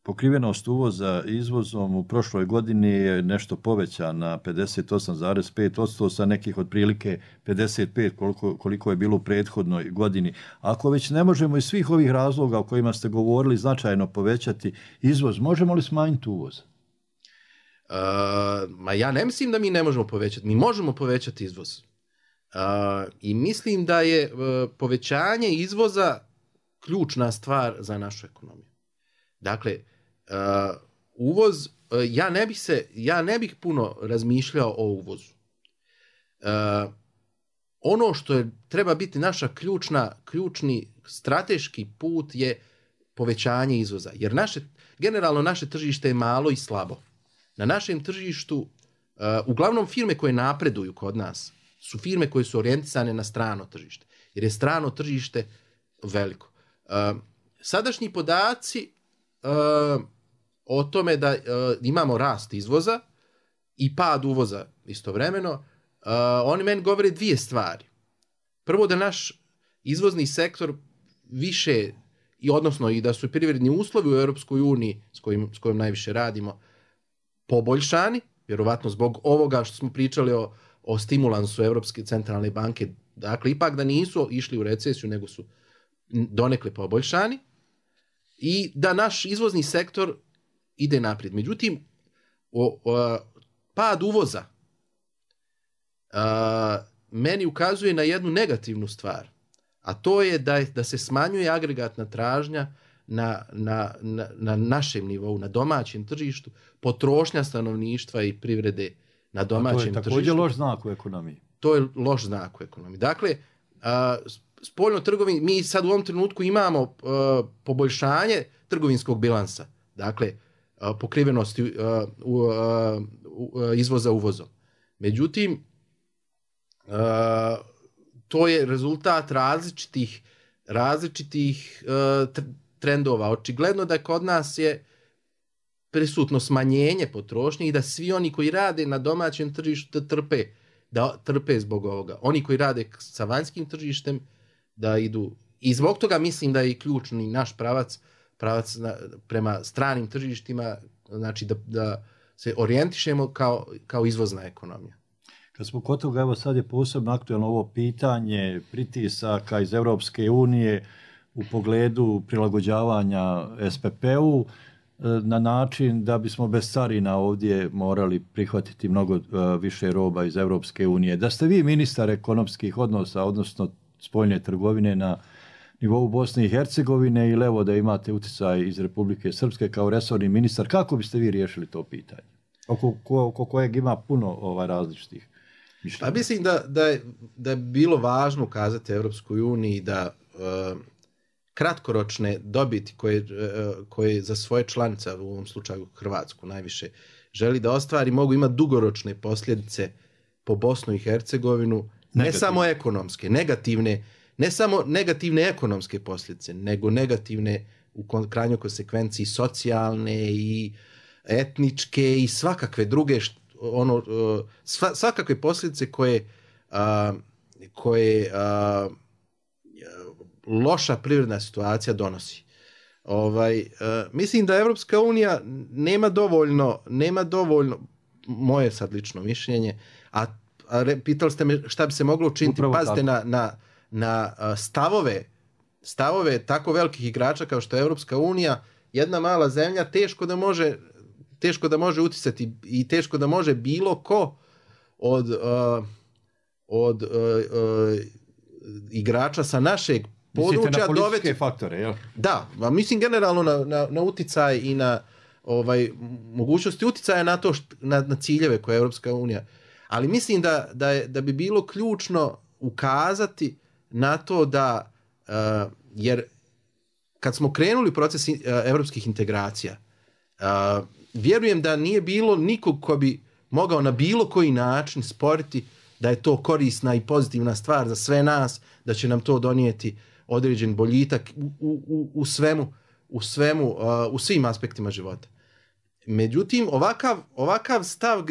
[SPEAKER 12] pokrivenost uvoza izvozom u prošloj godini je nešto povećan na 58,5% sa nekih otprilike 55 koliko je bilo u prethodnoj godini. Ako već ne možemo iz svih ovih razloga o kojima ste govorili značajno povećati izvoz, možemo li smanjiti uvoz?
[SPEAKER 13] Ja ne mislim da mi ne možemo povećati. Mi možemo povećati izvoz. I mislim da je povećanje izvoza ključna stvar za našu ekonomiju. Dakle, uvoz, ja ne bih puno razmišljao o uvozu. Ono što treba biti naša ključni strateški put je povećanje izvoza. Jer generalno naše tržište je malo i slabo. Na našem tržištu, uglavnom firme koje napreduju kod nas, su firme koje su orijentisane na strano tržište. Jer je strano tržište veliko. Sadašnji podaci o tome da imamo rast izvoza i pad uvoza istovremeno, oni meni govore dvije stvari. Prvo, da naš izvozni sektor više, odnosno i da su privredni uslovi u Europskoj uniji s kojim najviše radimo poboljšani, vjerovatno zbog ovoga što smo pričali o stimulansu Europske centralne banke, dakle ipak da nisu išli u recesiju nego su donekle poboljšani i da naš izvozni sektor ide naprijed. Međutim, pad uvoza meni ukazuje na jednu negativnu stvar, a to je da se smanjuje agregatna tražnja na našem nivou, na domaćem tržištu, potrošnja stanovništva i privrede na domaćem tržištu.
[SPEAKER 12] To je također loš znak u ekonomiji.
[SPEAKER 13] To je loš znak u ekonomiji. Dakle, spoljno trgovini, mi sad u ovom trenutku imamo poboljšanje trgovinskog bilansa, dakle, pokrivenosti izvoza uvozom. Međutim, to je rezultat različitih trendova. Očigledno da kod nas je prisutno smanjenje potrošnje i da svi oni koji rade na domaćem tržištu trpe zbog ovoga. Oni koji rade sa vanjskim tržištem da idu. I zbog toga mislim da je i ključni naš pravac prema stranim tržištima, znači da se orijentišemo kao izvozna ekonomija.
[SPEAKER 12] Kad smo kod toga, evo sad je posebno aktualno ovo pitanje pritisaka iz Europske unije u pogledu prilagođavanja SPP-u na način da bismo bez carina ovdje morali prihvatiti mnogo više roba iz Europske unije. Da ste vi ministar ekonomskih odnosa, odnosno spoljne trgovine na nivou Bosne i Hercegovine ili evo da imate utjecaj iz Republike Srpske kao resorni ministar, kako biste vi riješili to pitanje? Oko kojeg ima puno različitih mišljenja.
[SPEAKER 13] Pa mislim da je bilo važno ukazati Europskoj uniji da kratkoročne dobiti koje za svoje članice, u ovom slučaju Hrvatsku najviše, želi da ostvari, mogu imati dugoročne posljedice po Bosnu i Hercegovinu, ne samo ekonomske, negativne, ne samo negativne ekonomske posljedice, nego negativne u krajnjoj konsekvenciji socijalne i etničke i svakakve druge, svakakve posljedice koje loša privredna situacija donosi. Mislim da Evropska unija nema dovoljno, moje sad lično mišljenje, a pitali ste me šta bi se moglo učiniti. Pazite na stavove tako velikih igrača kao što je Evropska unija. Jedna mala zemlja teško da može uticati i teško da može bilo ko od igrača sa našeg područja
[SPEAKER 12] dovesti. Mislite na političke faktore, jel?
[SPEAKER 13] Da, mislim generalno na uticaj i na mogućnosti uticaja na to na ciljeve koje je Europska unija. Ali mislim da bi bilo ključno ukazati na to da, jer kad smo krenuli proces europskih integracija, vjerujem da nije bilo nikog ko bi mogao na bilo koji način sporiti da je to korisna i pozitivna stvar za sve nas, da će nam to donijeti određen boljitak u svim aspektima života. Međutim, ovakav stav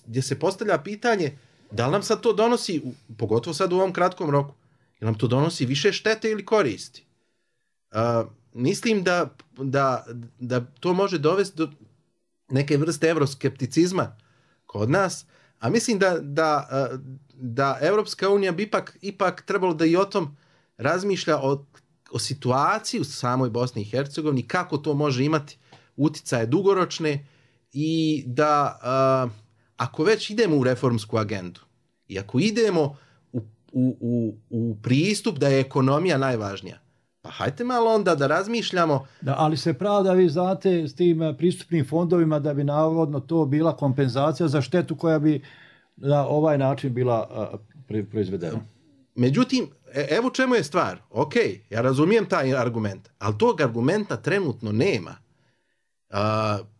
[SPEAKER 13] gdje se postavlja pitanje da li nam sad to donosi, pogotovo sad u ovom kratkom roku, da nam to donosi više štete ili koristi. Mislim da to može dovesti do neke vrste euroskepticizma kod nas, a mislim da Evropska unija bi ipak trebalo da i o tom razmišlja o situaciji u samoj Bosni i Hercegovini, kako to može imati uticaje dugoročne i da ako već idemo u reformsku agendu i ako idemo u pristup da je ekonomija najvažnija, pa hajte malo onda da razmišljamo.
[SPEAKER 12] Da, ali se pravda, vi znate, s tim pristupnim fondovima da bi navodno to bila kompenzacija za štetu koja bi na ovaj način bila proizvedena.
[SPEAKER 13] Međutim, evo čemu je stvar. Ok, ja razumijem taj argument, ali tog argumenta trenutno nema.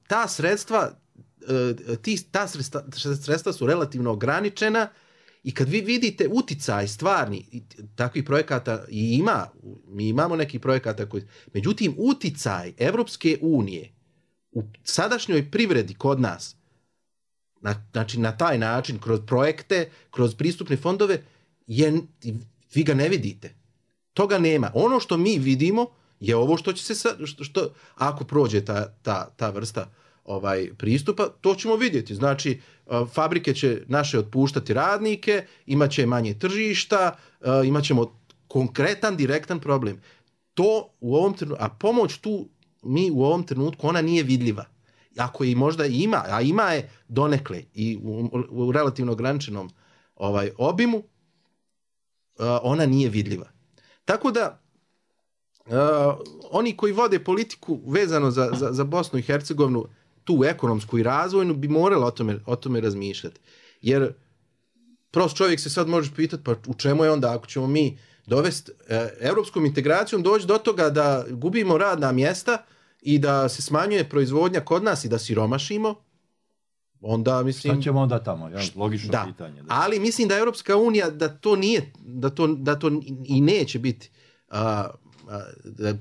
[SPEAKER 13] Ta sredstva su relativno ograničena i kad vi vidite uticaj stvarni, takvih projekata i ima, mi imamo nekih projekata koji... Međutim, uticaj Evropske unije u sadašnjoj privredi kod nas, znači na taj način, kroz projekte, kroz pristupne fondove, vi ga ne vidite. Toga nema. Ono što mi vidimo je ovo što će se ako prođe ta vrsta pristupa, to ćemo vidjeti. Znači, fabrike će naše otpuštati radnike, imat će manje tržišta, imat ćemo konkretan, direktan problem. To u ovom trenutku, a pomoć tu mi u ovom trenutku, ona nije vidljiva. Ako je možda ima, a ima je donekle i u relativno ograničenom obimu, ona nije vidljiva. Tako da oni koji vode politiku vezano za Bosnu i Hercegovinu, tu ekonomsku i razvojnu, bi morali o tome razmišljati. Jer prost čovjek se sad može pitati, pa u čemu je onda, ako ćemo mi dovesti europskom integracijom, doći do toga da gubimo radna mjesta i da se smanjuje proizvodnja kod nas i da siromašimo, onda mislim...
[SPEAKER 12] Šta ćemo onda tamo, logično pitanje. Da.
[SPEAKER 13] Ali mislim da Europska unija da to nije, da to i neće biti.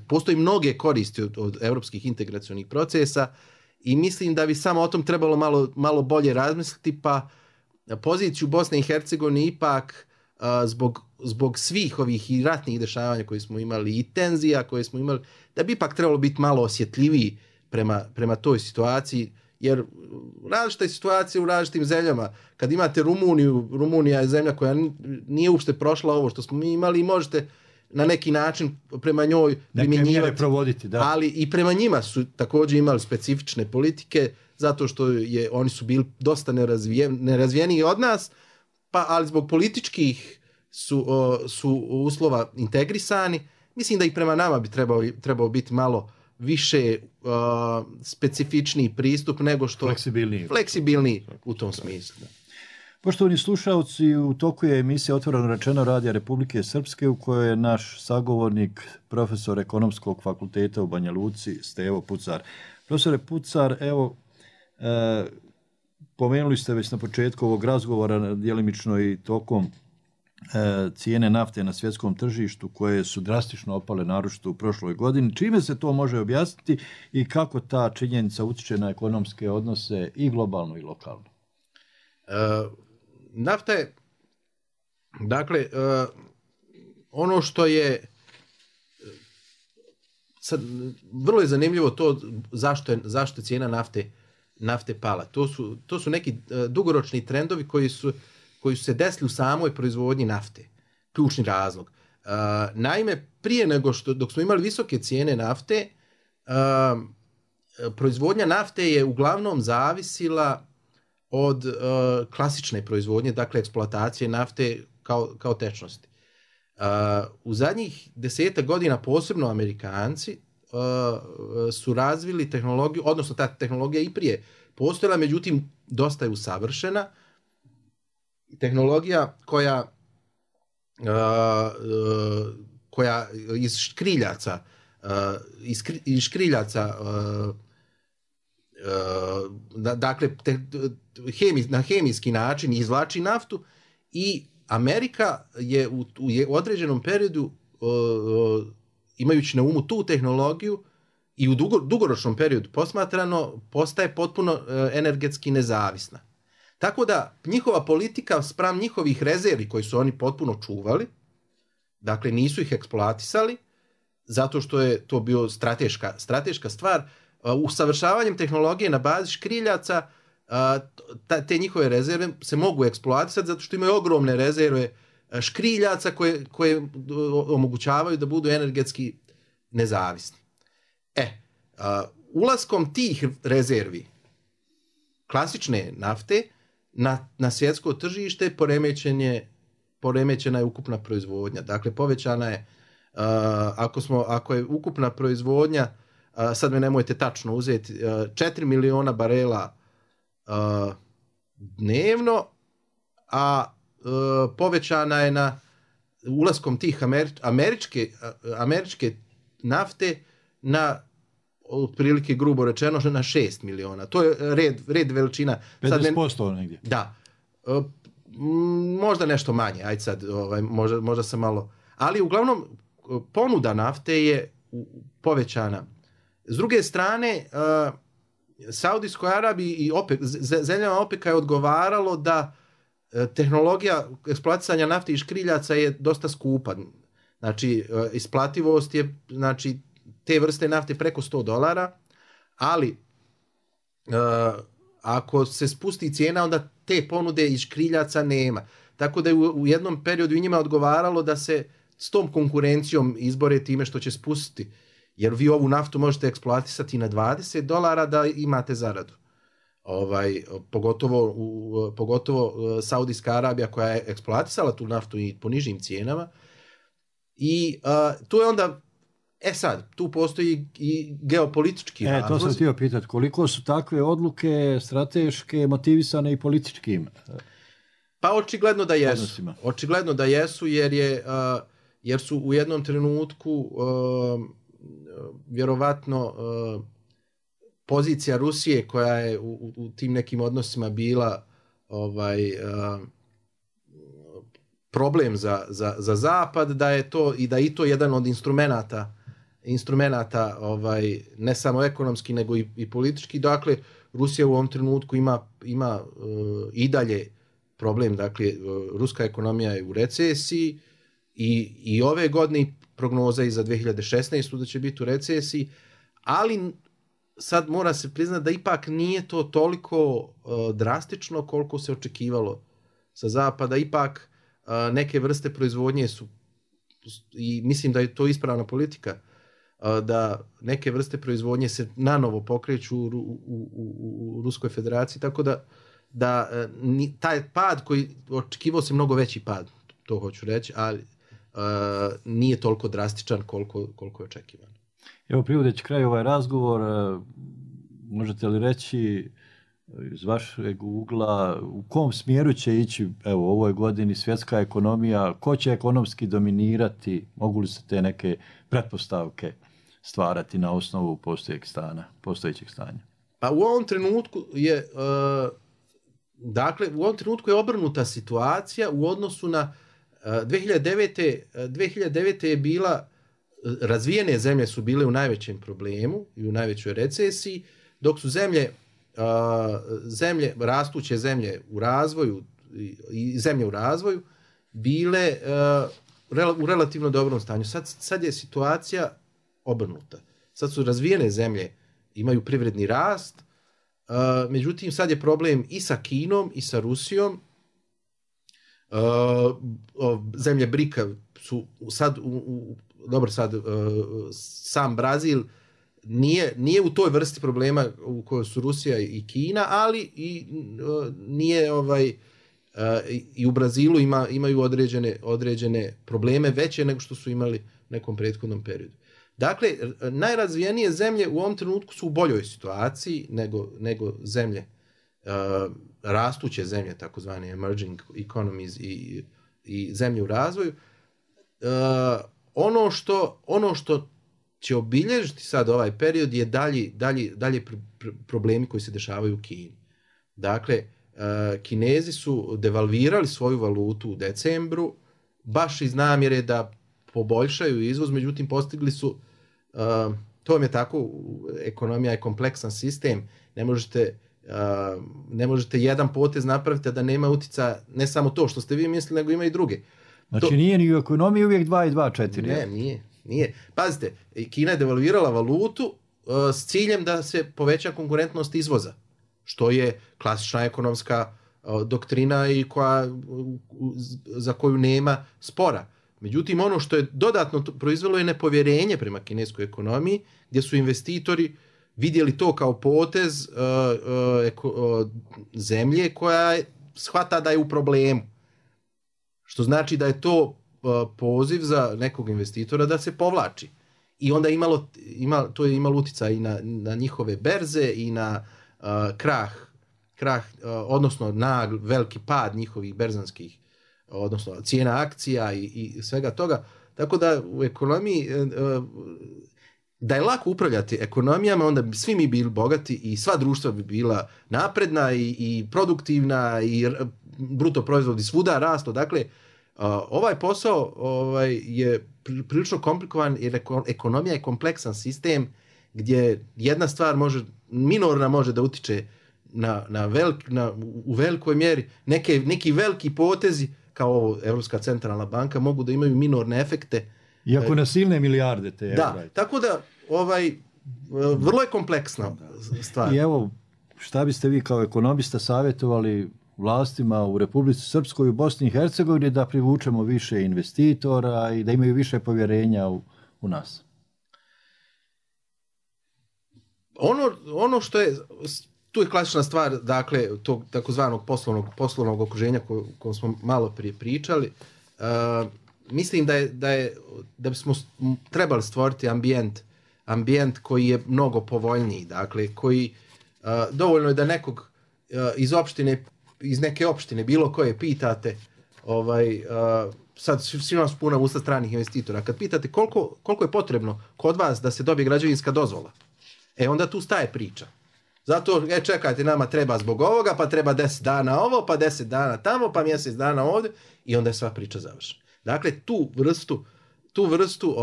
[SPEAKER 13] Postoji mnoge koristi od europskih integracionih procesa i mislim da bi samo o tom trebalo malo bolje razmisliti, pa poziciju Bosne i Hercegovine ipak zbog svih ovih i ratnih dešavanja koje smo imali i tenzija koje smo imali, da bi ipak trebalo biti malo osjetljiviji prema toj situaciji, jer različita je situacija u različitim zemljama. Kad imate Rumunija je zemlja koja nije uopšte prošla ovo što smo mi imali i možete na neki način prema njoj primjenjivati,
[SPEAKER 12] provoditi, da.
[SPEAKER 13] Ali i prema njima su također imali specifične politike, zato što oni su bili dosta nerazvijeniji od nas, ali zbog političkih su uslova integrisani. Mislim da i prema nama bi trebao biti malo više specifičniji pristup nego što... Fleksibilniji u tom smislu. Da.
[SPEAKER 12] Poštovani slušalci, u toku je emisija Otvoreno rečeno Radija Republike Srpske u kojoj je naš sagovornik, profesor Ekonomskog fakulteta u Banja Luci, Stevo Pucar. Profesore Pucar, evo, pomenuli ste već na početku ovog razgovora djelimično i tokom cijene nafte na svjetskom tržištu koje su drastično opale naročito u prošloj godini. Čime se to može objasniti i kako ta činjenica utječe na ekonomske odnose i globalno i lokalno?
[SPEAKER 13] Nafta je, dakle, ono što je sad, vrlo je zanimljivo to zašto je cijena nafte pala. To su neki dugoročni trendovi koji su se desili u samoj proizvodnji nafte. Ključni razlog. Naime, prije nego dok smo imali visoke cijene nafte, proizvodnja nafte je uglavnom zavisila od klasične proizvodnje, dakle eksploatacije nafte kao tečnosti. U zadnjih 10 godina, posebno Amerikanci, su razvili tehnologiju, odnosno ta tehnologija i prije postojala, međutim dosta je usavršena. Tehnologija koja iz škriljaca dakle na hemijski način izvlači naftu, i Amerika je u određenom periodu, imajući na umu tu tehnologiju i u dugoročnom periodu posmatrano, postaje potpuno energetski nezavisna. Tako da njihova politika spram njihovih rezervi koji su oni potpuno čuvali, dakle nisu ih eksploatisali, zato što je to bio strateška stvar, usavršavanjem tehnologije na bazi škriljaca, te njihove rezerve se mogu eksploatisati zato što imaju ogromne rezerve škriljaca koje omogućavaju da budu energetski nezavisni. Ulaskom tih rezervi klasične nafte na svjetsko tržište poremećena je ukupna proizvodnja. Dakle, povećana je, ako je ukupna proizvodnja, sad me nemojte tačno uzeti, 4 miliona barela dnevno, a povećana je na ulaskom tih američke nafte na otprilike, grubo rečeno, na 6 miliona. To je red veličina.
[SPEAKER 12] 50% negdje.
[SPEAKER 13] Da. Možda nešto manje, ajde sad, možda sam malo... Ali uglavnom, ponuda nafte je povećana. S druge strane, Saudijskoj Arabiji i zemljama OPEC-a je odgovaralo da tehnologija eksploatisanja nafte i škriljaca je dosta skupa. Znači, isplativost je, znači, te vrste nafte preko $100, ali ako se spusti cijena, onda te ponude iz škriljaca nema. Tako da je u jednom periodu i njima odgovaralo da se s tom konkurencijom izbore time što će spustiti. Jer vi ovu naftu možete eksploatisati na $20 da imate zaradu. Pogotovo Saudijska Arabija koja je eksploatisala tu naftu i po nižim cijenama. I tu je onda, tu postoji i geopolitički razlog.
[SPEAKER 12] To sam htio pitati, koliko su takve odluke strateške motivisane i političkim?
[SPEAKER 13] Pa očigledno da jesu. Odnosima. Očigledno da jesu, jer su u jednom trenutku vjerovatno pozicija Rusije koja je u tim nekim odnosima bila problem za Zapad, da je to i to jedan od instrumenata ne samo ekonomski nego i politički. Dakle, Rusija u ovom trenutku ima i dalje problem, dakle, ruska ekonomija je u recesiji i ove godine prognoza i za 2016. da će biti u recesiji, ali sad mora se priznati da ipak nije to toliko drastično koliko se očekivalo sa Zapada. Ipak neke vrste proizvodnje su, i mislim da je to ispravna politika, da neke vrste proizvodnje se nanovo pokreću u Ruskoj federaciji, tako da taj pad koji očekivao se mnogo veći pad, to hoću reći, ali nije toliko drastičan koliko je očekivano.
[SPEAKER 12] Evo, privodeći kraj ovaj razgovor, možete li reći iz vašeg ugla u kom smjeru će ići u ovoj godini svjetska ekonomija, ko će ekonomski dominirati, mogu li se te neke pretpostavke stvarati na osnovu postojećeg stanja?
[SPEAKER 13] Pa u ovom trenutku je Dakle, u ovom trenutku je obrnuta situacija u odnosu na 2009. je bila, razvijene zemlje su bile u najvećem problemu i u najvećoj recesiji, dok su rastuće zemlje u razvoju i zemlje u razvoju bile u relativno dobrom stanju. Sad je situacija obrnuta. Sad su razvijene zemlje, imaju privredni rast, međutim sad je problem i sa Kinom i sa Rusijom. Zemlje BRICA su sad sam Brazil nije u toj vrsti problema u kojoj su Rusija i Kina, ali nije i u Brazilu imaju određene probleme veće nego što su imali u nekom prethodnom periodu. Dakle, najrazvijenije zemlje u ovom trenutku su u boljoj situaciji nego zemlje, rastuće zemlje, takozvane emerging economies i zemlje u razvoju. Ono što će obilježiti sad ovaj period je dalje problemi koji se dešavaju u Kini. Dakle, Kinezi su devalvirali svoju valutu u decembru, baš iz namjere da poboljšaju izvoz, međutim postigli su, to vam je tako, ekonomija je kompleksan sistem, ne možete jedan potez napraviti da nema utjecaja, ne samo to što ste vi mislili, nego ima i druge.
[SPEAKER 12] Znači nije ni u ekonomiji uvijek 2 i 2 4.
[SPEAKER 13] Ne, nije. Pazite, Kina je devalvirala valutu s ciljem da se poveća konkurentnost izvoza, što je klasična ekonomska doktrina i za koju nema spora. Međutim, ono što je dodatno proizvelo je nepovjerenje prema kineskoj ekonomiji, gdje su investitori vidjeli to kao potez zemlje koja shvata da je u problemu. Što znači da je to poziv za nekog investitora da se povlači. I onda to je imalo utjecaj i na njihove berze i na krah, odnosno na veliki pad njihovih berzanskih, odnosno cijena akcija i svega toga. Tako da u ekonomiji, da je lako upravljati ekonomijama, onda bi svi mi bili bogati i sva društva bi bila napredna i produktivna i bruto proizvodi svuda rastu. Dakle, ovaj posao je prilično komplikovan jer ekonomija je kompleksan sistem gdje jedna stvar minorna može da utiče u velikoj mjeri. Neki veliki potezi kao Europska centralna banka mogu da imaju minorne efekte.
[SPEAKER 12] Iako na silne milijarde te.
[SPEAKER 13] Da, tako da vrlo je kompleksna stvar.
[SPEAKER 12] I evo, šta biste vi kao ekonomista savjetovali vlastima u Republici Srpskoj i u Bosni i Hercegovini da privučemo više investitora i da imaju više povjerenja u nas?
[SPEAKER 13] Ono što je, tu je klasična stvar, dakle, tog takozvanog poslovnog okruženja kojom smo malo prije pričali. Mislim da bismo trebali stvoriti ambijent koji je mnogo povoljniji, dakle, koji dovoljno je da nekog iz neke opštine, bilo koje pitate, sad svima su puna usta stranih investitora, kad pitate koliko je potrebno kod vas da se dobije građevinska dozvola, onda tu staje priča. Zato, čekajte, nama treba zbog ovoga, pa treba 10 dana ovo, pa 10 dana tamo, pa mjesec dana ovdje, i onda je sva priča završena. Dakle, tu vrstu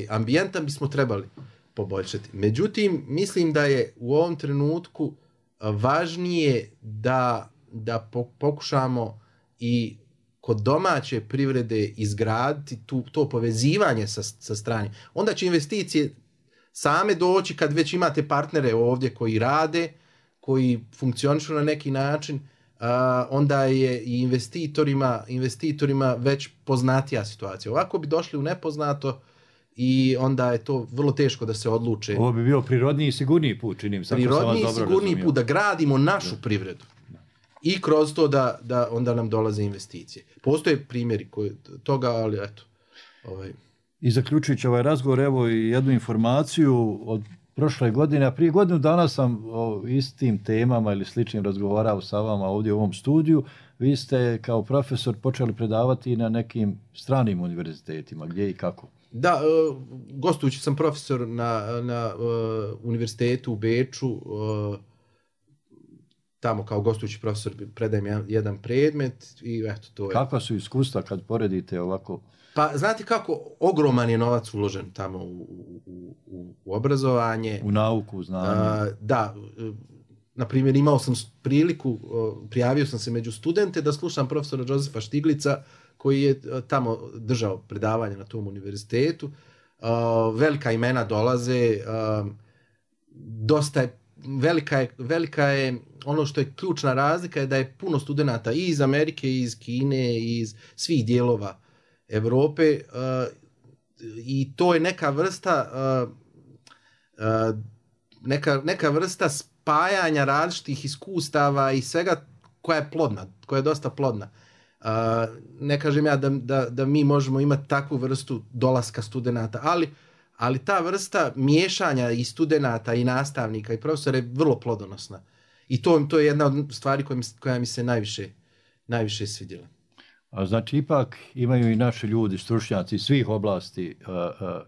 [SPEAKER 13] ambijenta bismo trebali poboljšati. Međutim, mislim da je u ovom trenutku važnije da pokušamo i kod domaće privrede izgraditi to povezivanje sa stranim. Onda će investicije same doći kad već imate partnere ovdje koji rade, koji funkcionišu na neki način, onda je i investitorima već poznatija situacija. Ovako bi došli u nepoznato i onda je to vrlo teško da se odluče.
[SPEAKER 12] Ovo bi bio prirodniji i sigurniji put, činim.
[SPEAKER 13] Prirodniji i sigurniji put da gradimo našu privredu. I kroz to da onda nam dolaze investicije. Postoje primjeri toga, ali eto.
[SPEAKER 12] I zaključujući ovaj razgovor, evo i jednu informaciju od prošle godine, a prije godinu dana sam o istim temama ili sličnim razgovarao sa vama ovdje u ovom studiju. Vi ste kao profesor počeli predavati na nekim stranim univerzitetima, gdje i kako?
[SPEAKER 13] Da, gostujući sam profesor na univerzitetu u Beču, tamo kao gostujući profesor predajem jedan predmet i eto to je.
[SPEAKER 12] Kakva su iskustva kad poredite ovako?
[SPEAKER 13] Pa znate kako, ogroman je novac uložen tamo u obrazovanje.
[SPEAKER 12] U nauku, znanje.
[SPEAKER 13] Da, na primjer imao sam priliku, prijavio sam se među studente da slušam profesora Josefa Štiglica koji je tamo držao predavanje na tom univerzitetu. Velika imena dolaze, dosta je, velika je, ono što je ključna razlika je da je puno studenata i iz Amerike, i iz Kine, i iz svih dijelova Europe i to je neka vrsta neka vrsta spajanja različitih iskustava i svega koja je plodna, koja je dosta plodna. Ne kažem ja da mi možemo imati takvu vrstu dolaska studenata, ali ta vrsta miješanja i studenata i nastavnika i profesora je vrlo plodonosna. I to je jedna od stvari koja mi se najviše svidjela.
[SPEAKER 12] A znači ipak imaju i naši ljudi, stručnjaci svih oblasti,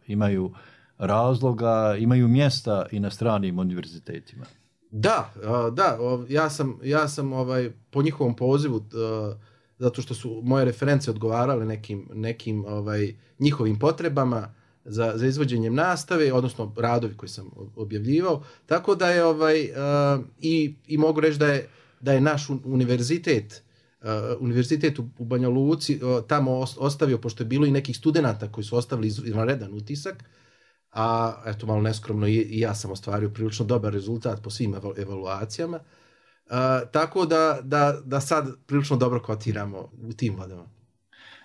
[SPEAKER 12] imaju razloga, imaju mjesta i na stranim univerzitetima.
[SPEAKER 13] Da, ja sam po njihovom pozivu, zato što su moje reference odgovarale nekim njihovim potrebama za izvođenjem nastave, odnosno radovi koji sam objavljivao, tako da je i mogu reći da je naš univerzitet u Banja Luci tamo ostavio, pošto je bilo i nekih studenata koji su ostavili izvanredan utisak, a eto malo neskromno i ja sam ostvario prilično dobar rezultat po svim evaluacijama, tako da sad prilično dobro kotiramo u tim vodama.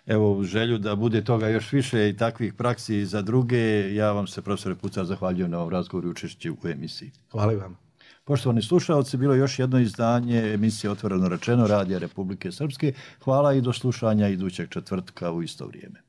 [SPEAKER 12] Evo, u želju da bude toga još više i takvih praksi za druge, ja vam se, profesore Pucar, zahvaljujem na ovom razgovoru i učešću u emisiji.
[SPEAKER 13] Hvala i vam.
[SPEAKER 12] Poštovani slušalci, bilo je još jedno izdanje emisije Otvoreno rečeno Radija Republike Srpske. Hvala i do slušanja idućeg četvrtka u isto vrijeme.